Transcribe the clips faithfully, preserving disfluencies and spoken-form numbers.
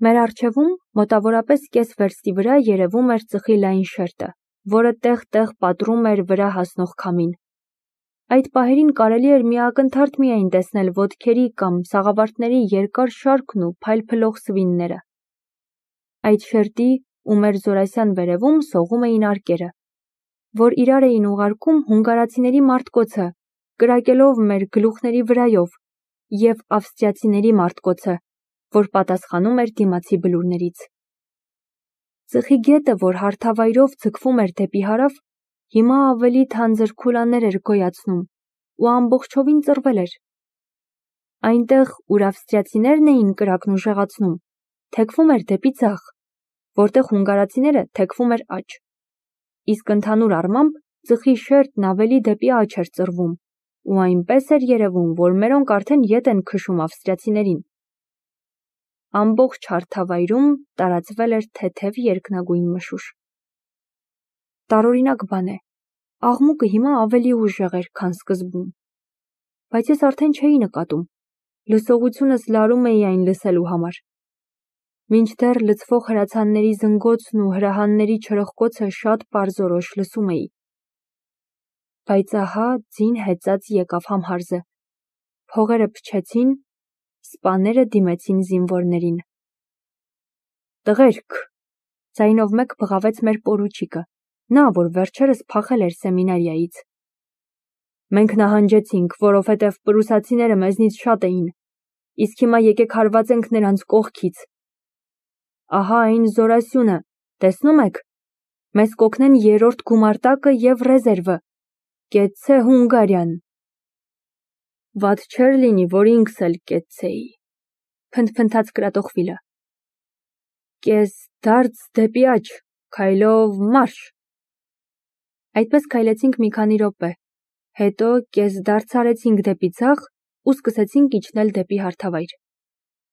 Մեր առջևում մոտավորապես կես վերստի վրա երևում էր ծխի լայն շերտը, որը տեղ-տեղ պատռում էր վրա հասնող քամին։ Այդ պահերին կարելի էր միակնթարթ միայն տեսնել ոտքերի կամ սաղավարտների երկար շարքն ու փայլփլող սվինները։ Այդ շերտի ու մեր Զորասյան վերևում սողում էին արկերը, որ իրար էին ուղարկում հունգարացիների մարտկոցը, կրակելով մեր գլուխների վրայով, և ավստրիացիների մարտկոցը, որ պատասխանում էր դիմացի բլուրներից։ Ծխի գետը, որ հարթավայրով ձգվում էր դեպի հարավ, հիմա ավելի թանձր քուլաներ էր գոյացնում ու ամբողջովին ծռվել էր։ Այնտեղ, ուր ավստրիացիներն էին կրակն ուժեղացնում, թեքվում էր դեպի ձախ, որտեղ հունգարացիները թեքվում էր աջ, իսկ ընդհանուր առմամբ ծխի շերտն ավելի դեպի աջ էր ծռվում, ու այնպես էր երևում, որ մերոնք արդեն ետ են քշում ավստրիացիներին։ Ամբողջ հարթավայրում տարածվել էր թեթև երկնագույն մշուշ։ Տարօրինակ բան է, աղմուկը հիմա ավելի ուժեղ էր, քան սկզբում, բայց ես արդեն չէի նկատում, լսողությունս լարում էի այն լսելու համար։ Մինչդեռ լցվող հրացանների զնգոցն ու հրահանների չրխկոցը շատ պարզորոշ լսում էի։ Բայց ահա ձին հեծած եկավ համհարզը, փողերը փչեցին, սպաները դիմեցին զինվորներին։ Տղերք, ձայնով մեկ բղավեց մեր պորուչիկը, նա, որ վերջերս փախել էր սեմինարիայից։ Մենք նահանջեցինք, որովհետև պրուսացիները մեզնից շատ էին, իսկ հիմա եկեք հարվածենք նրանց կողքից։ Ահա այն Զորասյունը, տեսնում եք, մեզ կօգնեն երրորդ գումարտակը և ռեզերվը, կեցցե Հունգարիան։ Վատ չէր լինի, որ ինքս էլ կեցցեի, փնթփնթաց կրատողվիլը։ Կես դարձ դեպի աջ, քայլով մարշ։ Այդպես քայլեցինք մի քանի րոպե, հետո կես դարձ արեցինք դեպի ձախ ու սկսեցինք իջնել դեպի հարթավայր,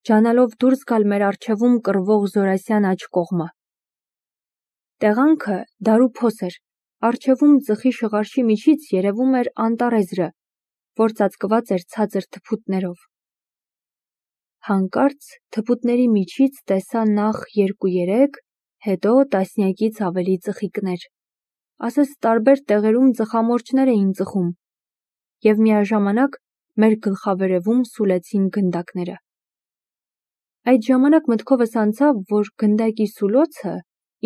ջանալով դուրս գալ մեր առջևում կռվող Զորասյան աջ կողմը։ Տեղանքը դար ու փոս էր, առջևում ծխի շղարշի միջից երևում էր անտառեզրը, որ ծածկված էր ցածր թփուտներով։ Հանկարծ թփուտների միջից տեսա նախ երկու-երեք, հետո տասնյակից ավելի ծխիկներ, ասես տարբեր տեղերում ծխամորճներ էին ծխում, և միաժամանակ մեր գլխավերևում սուլեցին գնդակները։ Այդ ժամանակ մտքովս անցավ, որ գնդակի սուլոցը,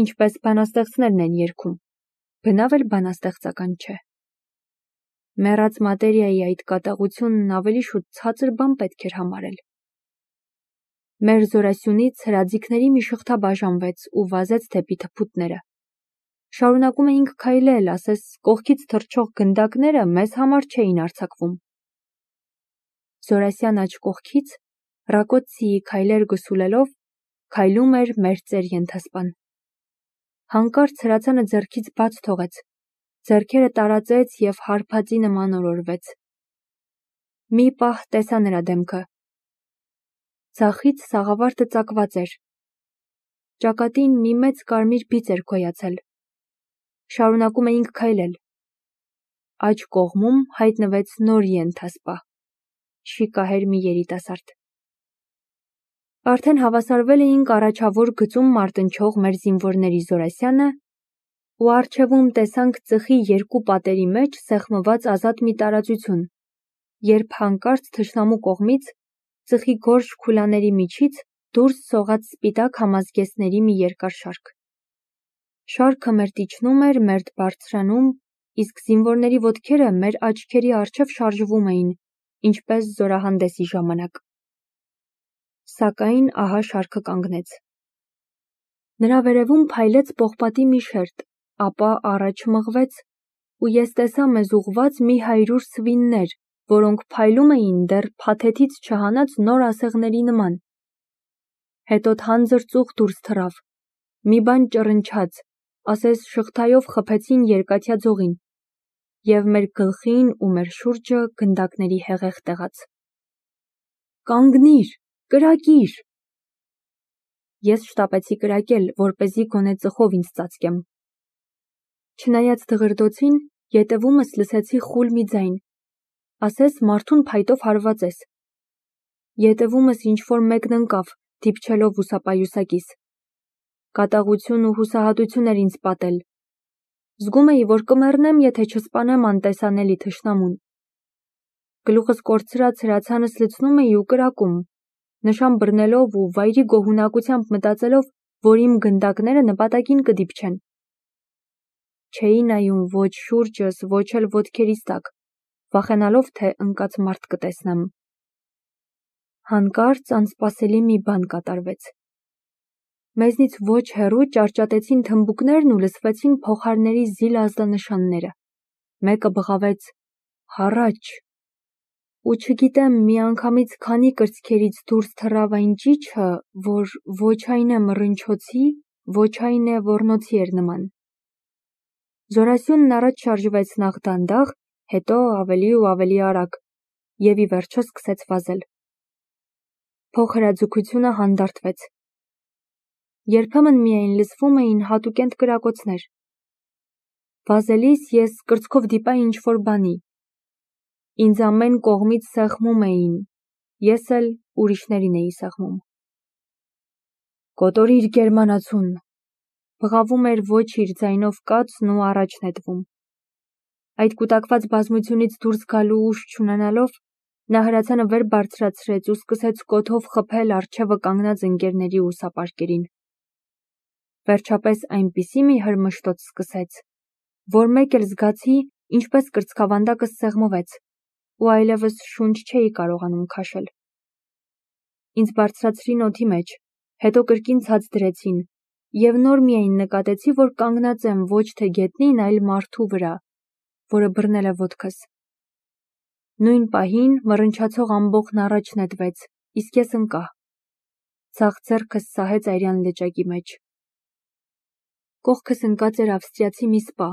ինչպես բանաստեղծներն են երգում, բնավ էլ բանաստեղծական չէ։ Մեռած մատերիայի այդ կատաղությունն ավելի շուտ ցածր բան պետք էր համարել։ Մեր Զորասյունից հրաձիգների մի շղթա բաժանվեց ու վազեց դեպի թփուտները։ Շարունակում էինք քայլել, ասես կողքից թռչող գնդակները մեզ համար չէին արձակվում։ Զորասյան աջ կողքից, Ռակոցիի քայլեր գսուլելով, քայլում էր մեր ծեր ենթասպան։ Հանկարծ հրացանը ձեռքից բաց թողեց, ձեռքերը տարածեց և հարբածի նման օրորվեց։ Մի պահ տեսա նրա դեմքը։ Ձախից սաղավարտը ծակված էր։ Ճակատին մի մեծ կարմիր բիծ էր գոյացել։ Շարունակում էինք քայլել։ Աջ կողմում հայտնվեց նոր ենթասպա, շիկահեր մի երիտասարդ։ Արդեն հավասարվել էինք առաջավոր գծում մարտնչող մեր զինվորների Զորասյանը ու առջևում տեսանք ծխի երկու պատերի մեջ սեղմված ազատ մի տարածություն, երբ հանկարծ թշնամու կողմից ծխի գորշ քուլաների միջից դուրս սողաց սպիտակ համազգեստների մի երկար շարք։ Շարքը մերթ իջնում էր, մերթ բարձրանում, իսկ զինվորների ոտքերը մեր աչքերի առջև շարժվում էին, ինչպես զորահանդեսի ժամանակ։ Սակայն ահա շարքը կանգնեց։ Նրա վերևում փայլեց պողպատի մի շերտ, ապա առաջ մղվեց, ու ես տեսա մեզ ուղղված մի հարյուր սվիններ, որոնք փայլում էին դեռ փաթեթից չհանած նոր ասեղների նման։ Հետո թանձր ծուխ դուրս թռավ, մի բան ճռնչաց, ասես շղթայով խփեցին երկաթյա ձողին, և մեր գլխին ու մեր շուրջը գնդակների հեղեղ տեղաց։ Կանգնի՛ր, կրակի՛ր։ Ես շտապեցի կրակել, որպեսզի գոնե ծխով ինձ ծածկեմ։ Չնայած դղրդոցին, ետևումս լսեցի խուլ մի ձայն, ասես մարդուն փայտով հարվածես։ Ետևումս ինչ-որ մեկն ընկավ, դիպչելով ուսապայուսակիս։ Կատաղություն ու հուսահատություն էր ինձ պատել։ Զգում էի, որ կմեռնեմ, եթե չսպանեմ անտեսանելի թշնամուն։ Գլուխս կորցրած հրացանս լցնում էի ու կրակում, նշան բռնելով ու վայրի գոհունակությամբ մտածելով, որ իմ գնդակները նպատակին կդիպչեն։ Չէի նայում ոչ շուրջս, ոչ էլ ոտքերիս տակ, վախենալով, թե ընկած մարդ կտեսնեմ։ Հանկարծ անսպասելի մի բան կատարվեց։ Մեզնից ոչ հեռու ճարճատեցին թմբուկներն ու լսվեցին փողահարների զիլ ազդանշանները։ Մեկը բղավեց «Հառաչ», ու չգիտեմ միանգամից քանի կրծքերից դուրս թռավ այն ճիչը, որ ոչ այն է մռնչոցի, ոչ այն է ոռնոցի էր նման։ Զորասյունն առաջ շարժվեց նախ դանդաղ, հետո ավելի ու ավելի արագ, և ի վերջո սկսեց վազել։ Փողհրաձգությունը հանդարտվեց։ Երբեմն միայն լսվում էին հատուկենտ կրակոցներ։ Վազելիս ես կրծքով դիպա ինչ-որ բանի։ Ինձ ամեն կողմից սեղմում էին, ես էլ ուրիշներին էի սեղմում։ «Կոտորիր գերմանացուն», բղավում էր ոչ իր ձայնով կացն ու առաջ նետվում։ Այդ կուտակված բազմությունից դուրս գալու ուժ չունենալով, նա հրացանը վեր բարձրացրեց ու սկսեց կոթով խփել առջևը կանգնած ընկերների ու սապարկերին։ Վերջապես այնպիսի մի հրմշտոց սկսեց, որ մեկ էլ զգացի, ինչպես կրծքավանդակս սեղմվեց, ու այլևս շունչ չէի կարողանում քաշել։ Ինձ բարձրացրին օդի մեջ, հետո կրկին ցած դրեցին, և նոր միայն նկատեցի, որ կանգնած եմ ոչ թե գետնին, այլ մարդու վրա, որը բռնել է ոտքս։ Նույն պահին մռնչացող ամբոխն առաջ նետվեց, իսկ ես ընկա։ Ձախ ձեռքս սահեց արյան լճակի մեջ։ Կողքս ընկած էր ավստրիացի մի սպա,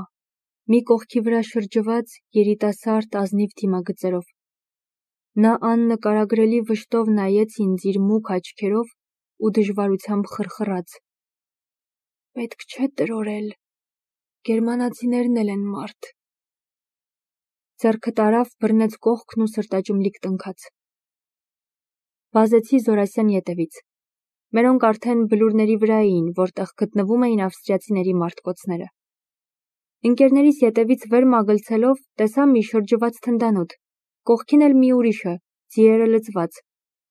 մի կողքի վրա շրջված երիտասարդ ազնիվ դիմագծերով։ Նա աննկարագրելի վշտով նայեց ինձ իր մուգ աչքերով ու դժվարությամբ խրխրաց. «Պետք չէ տրորել, գերմանացիներն էլ են մարդ»։ Ձեռքը տարավ, բռնեց կողքն ու սրտաճմլիկ տնքաց։ Վազեցի Զորասյան ետևից։ Մերոնք արդեն բլուրների վրա էին, որտեղ գտնվում էին ավստրիացիների մարտկոցները։ Ընկերներիս ետևից վեր մագլցելով, տեսա մի շրջված թնդանոթ, կողքին էլ մի ուրիշը, ձիերը լցված,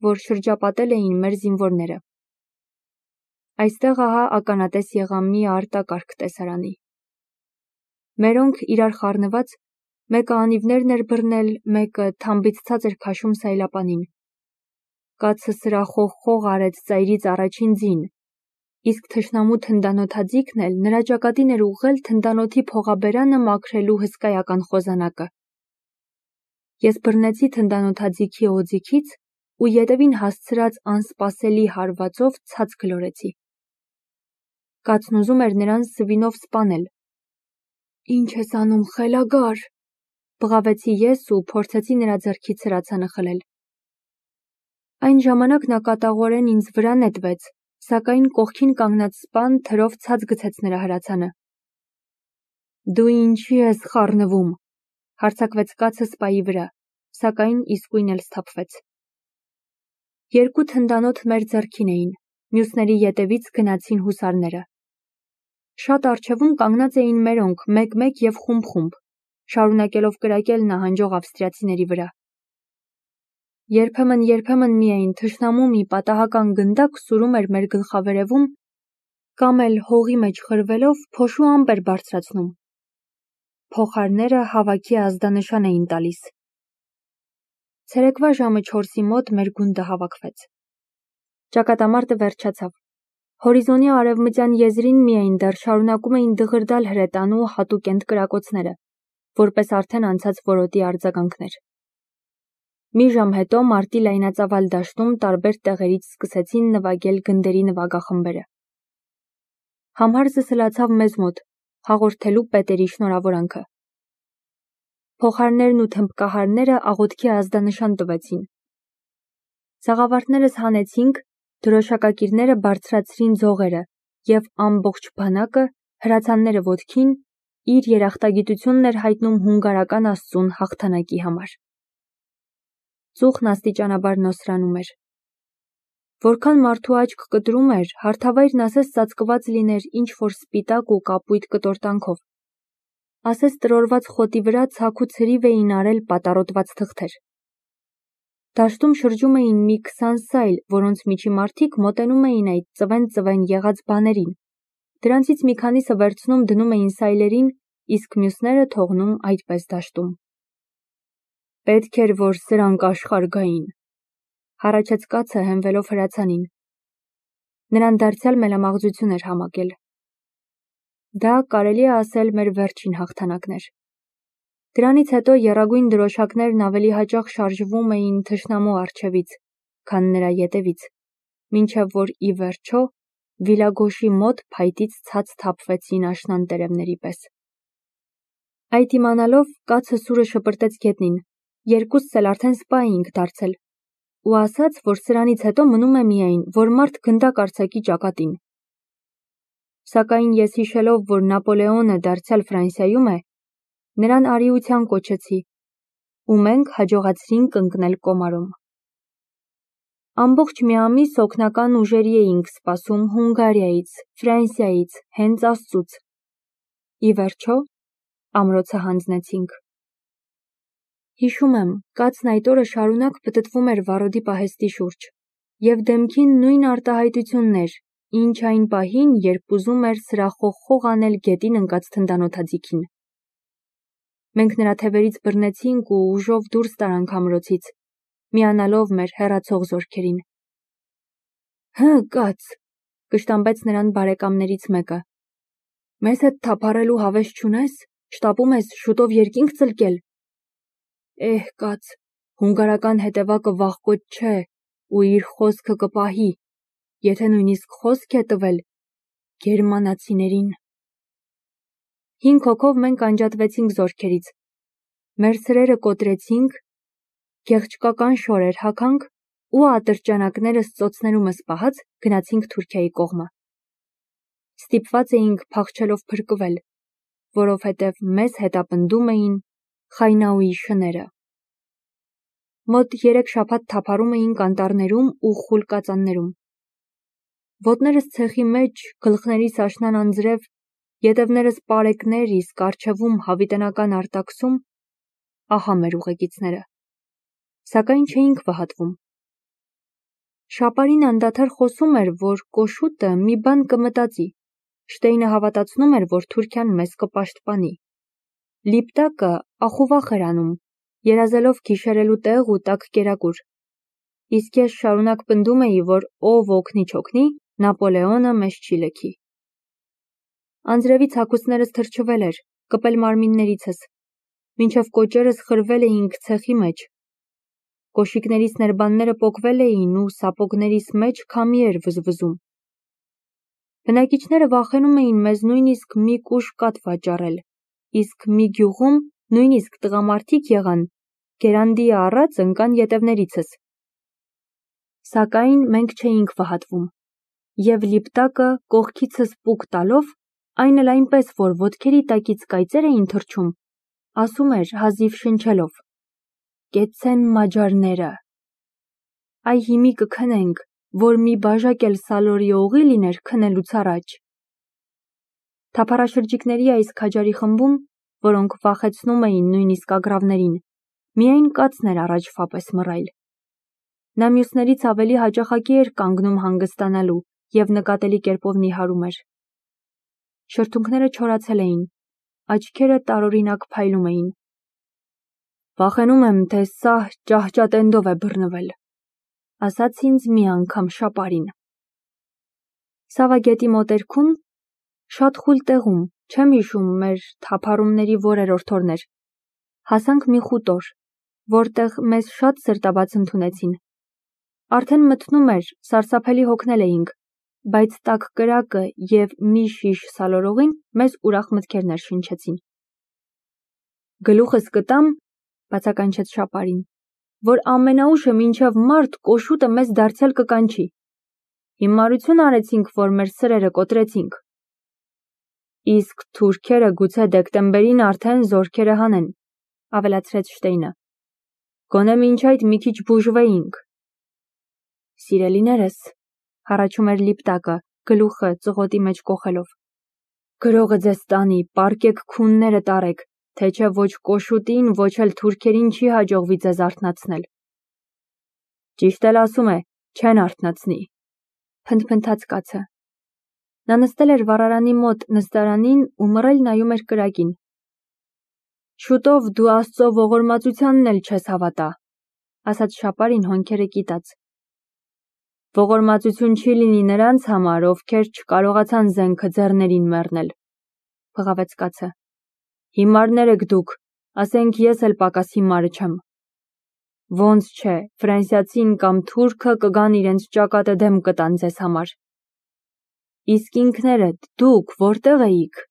որ շրջապատել էին մեր զինվորները։ Այստեղ ահա ականատես եղա մի արտակարգ տեսարանի։ Մերոնք իրար խառնված, մեկը անիվներն էր բռնել, մեկը թամբից ցած էր քաշում սայլապանին։ Կացը սրախոհ-խող արեց ծայրից առաջին ձին, իսկ թշնամու թնդանոթաձիգն էլ նրա ճակատին էր ուղղել թնդանոթի փողաբերանը մաքրելու հսկայական խոզանակը։ Ես բռնեցի թնդանոթաձիգի օձիքից ու ետևին հասցրած անսպասելի հարվածով ցած գլորեցի։ Կացն ուզում էր նրան սվինով սպանել։ «Ինչ ես անում, խելագար», բղավեցի ես ու փորձեցի նրա ձեռքից հրացանը խլել։ Այն ժամանակ նա կատաղորեն ինձ վրա նետվեց, սակայն կողքին կանգնած սպան թրով ցած գցեց նրա հրացանը։ «Դու ինչի ես խառնվում», հարձակվեց կացը սպայի վրա, սակայն իսկույն էլ սթափվեց։ Երկու թնդանոթ մեր ձեռքին էին, մյուսների ետևից գնացին հուսարները։ Շատ առջևում կանգնած էին մերոնք, մեկ-մեկ և խումբ-խումբ, շարունակելով կրակել նահանջող ավստրիացիների վրա։ Երբեմն-երբեմն միայն թշնամու մի պատահական գնդակ սուրում էր մեր գլխավերևում, կամ էլ հողի մեջ խրվելով փոշու ամպ էր բարձրացնում։ Փողահարները հավաքի ազդանշան էին տալիս։ Ցերեկվա ժամը չորսի մոտ մեր գունդը հավաքվեց։ Ճակատամարտը վերջացավ։ Հորիզոնի արևմտյան եզրին միայն դեռ շարունակում էին դղրդալ հրետանու հատուկենտ կրակոցները, որպես արդեն անցած որոտի արձագանքներ։ Մի ժամ հետո մարտի լայնածավալ դաշտում տարբեր տեղերից սկսեցին նվագել գնդերի նվագախմբերը։ Համհարզը սլացավ մեզ մոտ, հաղորդելու պետերի շնորհավորանքը։ Փողահարներն ու թմբկահարները աղոթքի ազդանշան տվեցին։ Սաղավարտներս հանեցինք, դրոշակակիրները բարձրացրին ձողերը, և ամբողջ բանակը, հրացանները ոտքին, իր երախտագիտությունն էր հայտնում հունգարական աստծուն հաղթանակի համար։ Ծուխն աստիճանաբար նոսրանում էր։ Որքան մարդու աչք կտրում էր, հարթավայրն ասես ծածկված լիներ ինչ-որ սպիտակ ու կապույտ կտորտանքով։ Ասես տրորված խոտի վրա ցաք ու ցրիվ էին արել պատառոտված թղթեր։ Դաշտում շրջում էին մի քսան սայլ, որոնց միջի մարդիկ մոտենում էին այդ ծվեն-ծվեն եղած բաներին։ Դրանցից մի քանիսը վերցնում դնում էին սայլերին, իսկ մյուսները թողնում այդպես դաշտում։ Պետք էր, որ սրանք աշխարհ գային, հառաչեց կացը հենվելով հրացանին։ Նրան դարձյալ մելամաղձություն էր համակել։ Դա կարելի է ասել մեր վերջին հաղթանակն էր։ Դրանից հետո եռագույն դրոշակներն ավելի հաճախ շարժվում էին թշնամու առջևից, քան նրա ետևից, մինչև որ ի վերջո Վիլագոշի մոտ փայտից ցած թափվեցին աշնան տերևների պես։ Այդ իմանալով կացը սուրը շպրտեց գետնին, երկուսս էլ արդեն սպա էինք դարձել, ու ասաց, որ սրանից հետո մնում է միայն, որ մարդ գնդակ արձակի ճակատին։ Սակայն ես հիշելով, որ Նապոլեոնը դարձյալ Ֆրանսիայում է, նրան արիության կոչեցի, ու մենք հաջողացրինք ընկնել Կոմարում։ Ամբողջ մի ամիս օգնական ուժերի էինք սպասում Հունգարիայից, Ֆրանսիայից, հենց Աստծուց։ Ի վերջո ամրոցը հանձնեցինք։ Հիշում եմ, կացն այդ օրը շարունակ պտտվում էր վառոդի պահեստի շուրջ, և դեմքին նույն արտահայտությունն էր, ինչ այն պահին, երբ ուզում էր սրախողխող անել գետին ընկած թնդանոթաձիգին։ Մենք նրա թևերից բռնեցինք ու ուժով դուրս տարանք ամրոցից, միանալով մեր հեռացող զորքերին։ Հը, կաց, կշտամբեց նրան բարեկամներից մեկը։ Մեզ հետ թափառելու հավես չունես, շտապում ես շուտով երկինք ծլկել։ Էհ, կաց, հունգարական հետևակը վախկոտ չէ ու իր խոսքը կպահի, եթե նույնիսկ խոսք է տվել գերմանացիներին։ Հինգ հոգով մենք անջատվեցինք զորքերից, մեր սրերը կոտրեցինք, գեղչկական շորեր հագանք ու ատրճանակներս ծոցներումս պահած գնացինք Թուրքիայի կողմը։ Ստիպված էինք փախչելով փրկվել, որովհետև մեզ հետապնդում էին Խայնաուի շները։ Մոտ երեք շաբաթ թափառում էինք անտառներում ու խուլ կածաններում։ Ոտներս ցեխի մեջ, գլխներիս աշնան անձրև, ետևներս պարեկներ, իսկ առջևում հավիտենական արտաքսում, ահա մեր ուղեկիցները։ Սակայն չէինք վհատվում։ Շապարին անդադար խոսում էր, որ կոշուտը մի բան կմտածի, Շտեյնը հավատացնում էր, որ Թուրքիան մեզ կպաշտպանի։ Լիպտակը ախուվախ էր անում, երազելով գիշերելու տեղ ու տաք կերակուր։ Իսկ ես շարունակ պնդում էի, որ ով օգնի չօգնի, Նապոլեոնը մեզ չի լքի։ Անձրևից հագուստներս թրջվել էր, կպել մարմիններիցս, մինչև կոճերս խրվել էինք ցեխի մեջ։ Կոշիկներիս ներբանները պոկվել էին ու սապոգներիս մեջ քամի էր վզվզում։ Բնակիչները վախենում էին մեզ նույնիսկ մի կուշ կաթ վաճառել, իսկ մի գյուղում նույնիսկ տղամարդիկ եղան, գերանդի առած ընկան ետևներիցս։ Սակայն մենք չէինք վհատվում, և Լիպտակը կողքիցս պուկ տալով, այն էլ այնպես, որ ոտքերի տակից կայծեր էին թռչում, ասում էր հազիվ շնչելով. «Կեցցեն մաջարները։ Այ հիմի կքնենք, որ մի բաժակ էլ սալորի օղի լիներ քնելուց առաջ»։ Թափառաշրջիկների այս քաջարի խմբում, որոնք վախեցնում էին նույնիսկ ագռավներին, միայն կացն էր առաջվա պես մռայլ։ Նա մյուսներից ավելի հաճախակի էր կանգնում հանգստանալու և նկատելի կերպով նիհարում էր։ Շրթունքները չորացել էին, աչքերը տարօրինակ փայլում էին։ Վախենում եմ, թե սահ ճահճատենդով է բռնվել, ասաց ինձ մի անգամ Շապարին։ Սավագետի մոտերքում, շատ խուլ տեղում, չեմ հիշում մեր թափառումների որերորդ օրն էր, հասանք մի խուտոր, որտեղ մեզ շատ սրտաբաց ընդունեցին։ Արդեն մթնում էր, սարսափելի հոգնել էինք, բայց տաք կրակը և մի շիշ սալորօղին մեզ ուրախ մտքեր ներշնչեցին։ Գլուխս կտամ, բացականչեց Շապարին, որ ամենաուշը մինչև մարտ կոշուտը մեզ դարձյալ կկանչի։ Հիմարություն արեցինք, որ մեր սրերը կոտրեցինք։ Իսկ թուրքերը գուցե դեկտեմբերին արդեն զորքերը հանեն, ավելացրեց Շտեյնը։ Գոնե մինչ այդ մի քիչ բուժվեինք։ Սիրելիներս, հառաչում էր Լիպտակը, գլուխը ծղոտի մեջ կոխելով։ Գրողը ձեզ տանի, պառկեք քունները տարեք, թե չէ ոչ կոշուտին, ոչ էլ թուրքերին չի հաջողվի ձեզ արթնացնել։ Ճիշտ էլ ասում է, չեն արթնացնի, փնթփնթաց կացը։ Նա նստել էր վառարանի մոտ նստարանին ու մռայլ նայում էր կրակին։ Շուտով դու Աստծո ողորմածությանն էլ չես հավատա, ասաց Շապարին հոնքերը կիտած։ Ողորմածություն չի լինի նրանց համար, ովքեր չկարողացան զենքը ձեռներին մեռնել, փղավեց կացը։ Հիմարներ եք դուք, ասենք ես էլ պակաս հիմարը չեմ։ Ոնց չէ, ֆրանսիացին կամ թուրքը կգան իրենց ճակատը դեմ կտան ձեզ համար։ Իսկ ինքներդ դուք որտեղ էիք։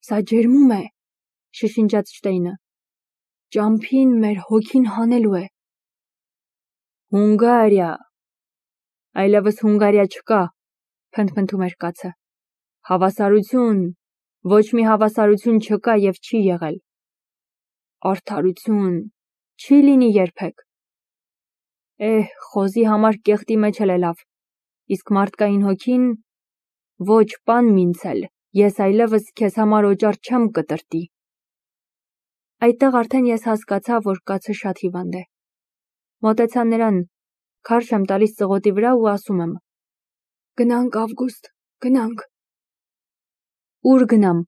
Սա ջերմում է, շշնջաց Շտեյնը։ Ճամփին մեր հոգին հանելու է։ Հունգարիա։ Այլևս Հունգարիա չկա, փնթփնթում էր կացը։ Հավասարություն, ոչ մի հավասարություն չկա եւ չի եղել։ Արդարություն, չի լինի երբեք։ Էհ, խոզի համար կեղտի մեջ էլ է լավ, իսկ մարդկային հոգին, ոչ պան մինցել, ես այլևս քեզ համար օճառ չեմ կտրտի։ Այդտեղ արդեն ես հասկացա, որ կացը շատ հիվանդ է։ Մոտեցա նրան, քարշ եմ տալիս ծղոտի վրա ու ասում եմ. Գնանք, Ավգուստ, գնանք։ Ուր գնամ,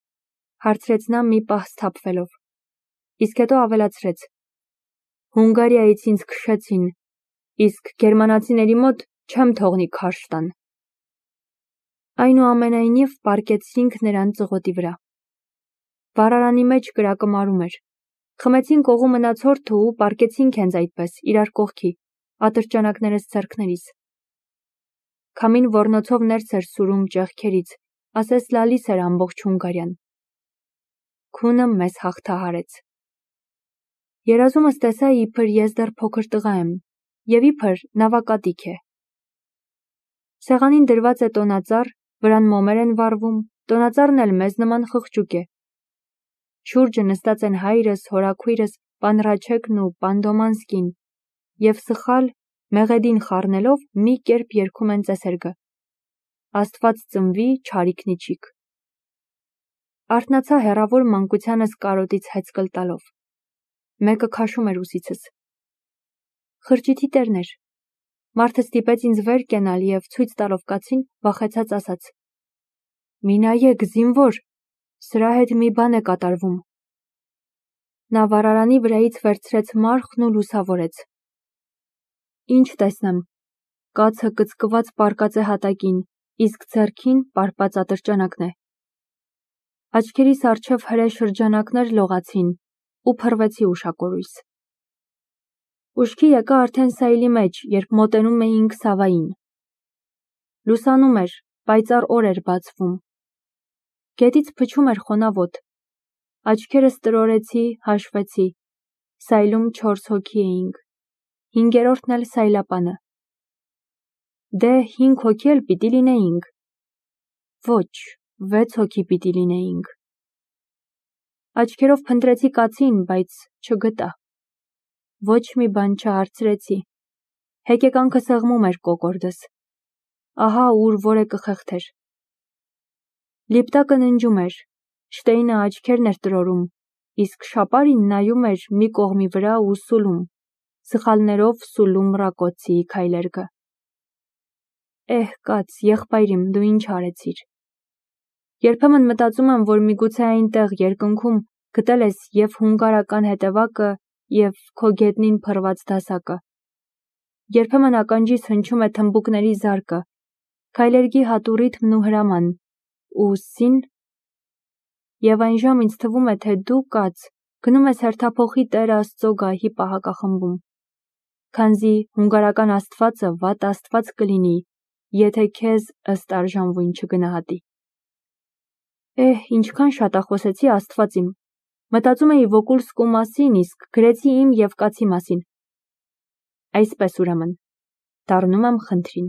հարցրեց նա մի պահ սթափվելով, իսկ հետո ավելացրեց. Հունգարիայից ինձ քշեցին, իսկ գերմանացիների մոտ չեմ թողնի քարշ տան։ Այնուամենայնիվ պառկեցինք նրան ծղոտի վրա։ Վառարանի մեջ կրակը մարում էր։ Խմեցինք օղու մնացորդը ու պառկեցինք հենց այդպես, իրար կողքի, ատրճանակներս ձեռքներիս։ Քամին ոռնոցով ներս էր սուրում ճեղքերից, ասես լալիս էր ամբողջ Հունգարիան։ Քունը մեզ հաղթահարեց։ Երազումս տեսա, իբր ես դեռ փոքր տղա եմ, եւ իբր նավակատիք է։ Սեղանին դրված է տոնածառ, վրան մոմեր են վառվում, տոնածառն էլ մեզ նման խղճուկ է։ Շուրջը նստած են հայրս, հորաքույրս, պան Ռաչեկն ու պան Դոմանսկին, եւ սխալ, մեղեդին խառնելով մի կերպ երգում են ծեսերգը։ Աստված ծնվի, չարիքն իջիք։ Արթնացա հեռավոր մանկությանս կարոտից հեծկլ տալով։ Մեկը քաշում էր ուսիցս։ Խրճիթի տերն էր։ Մարդը ստիպեց ինձ վեր կենալ եւ ցույց տալով կացին վախեցած ասաց. Մի նայեք, զինվոր, սրա հետ մի բան է կատարվում։ Նա վառարանի վրայից վերցրեց մարխն ու լուսավորեց։ Ինչ տեսնեմ, կացը կծկված պառկած է հատակին, իսկ ձեռքին պարպած ատրճանակն է։ Աչքերիս առջև հրե շրջանակներ լողացին ու փռվեցի ուշակորույս։ Ուշքի եկա արդեն սայլի մեջ, երբ մոտենում էինք Սավային։ Լուսանում էր, պայծառ օր էր բացվում։ Գետից փչում էր խոնավոտ։ Աչքերս տրորեցի, հաշվեցի։ Սայլում չորս հոգի էինք։ Հինգերորդն էլ սայլապանը։ Դե հինգ հոգի էլ պիտի լինեինք։ Ոչ, վեց հոգի պիտի լինեինք։ Աչքերով փնտրեցի կացին, բայց չգտա։ Ոչ մի բան չհարցրեցի։ Հեկեկանքը սեղմում էր կոկորդս։ Ահա ուր որեկը խեղդեր։ Լիպտակը ննջում էր, Շտեյնը աչքերն էր տրորում, իսկ Շապարին նայում էր մի կողմի վրա ու սուլում, սխալներով սուլում Ռակոցիի քայլերգը։ Էհ, կաց, եղբայրիմ, դու ինչ արեցիր։ Երբեմն մտածում եմ, որ միգուցե այնտեղ երկնքում գտել ես եւ հունգարական հետևակը եւ քո գետնին փռված դասակը։ Երբեմն ականջիս հնչում է թմբուկների զարկը, քայլերգի հատու ռիթմն ու հրաման, ու սին։ Եվ այնժամ ինձ թվում է, թե դու, կաց, գնում ես հերթափոխի Տեր Աստծո գահի պահակախմբում, քանզի հունգարական աստվածը վատ աստված կլինի, եթե քեզ ըստ արժանվույն չգնահատի։ Էհ, ինչքան շատախոսեցի Աստված իմ։ Մտածում էի Վոկուլսկու մասին, իսկ գրեցի իմ եւ կացի մասին։ Այսպես ուրեմն, դառնում եմ խնդրին։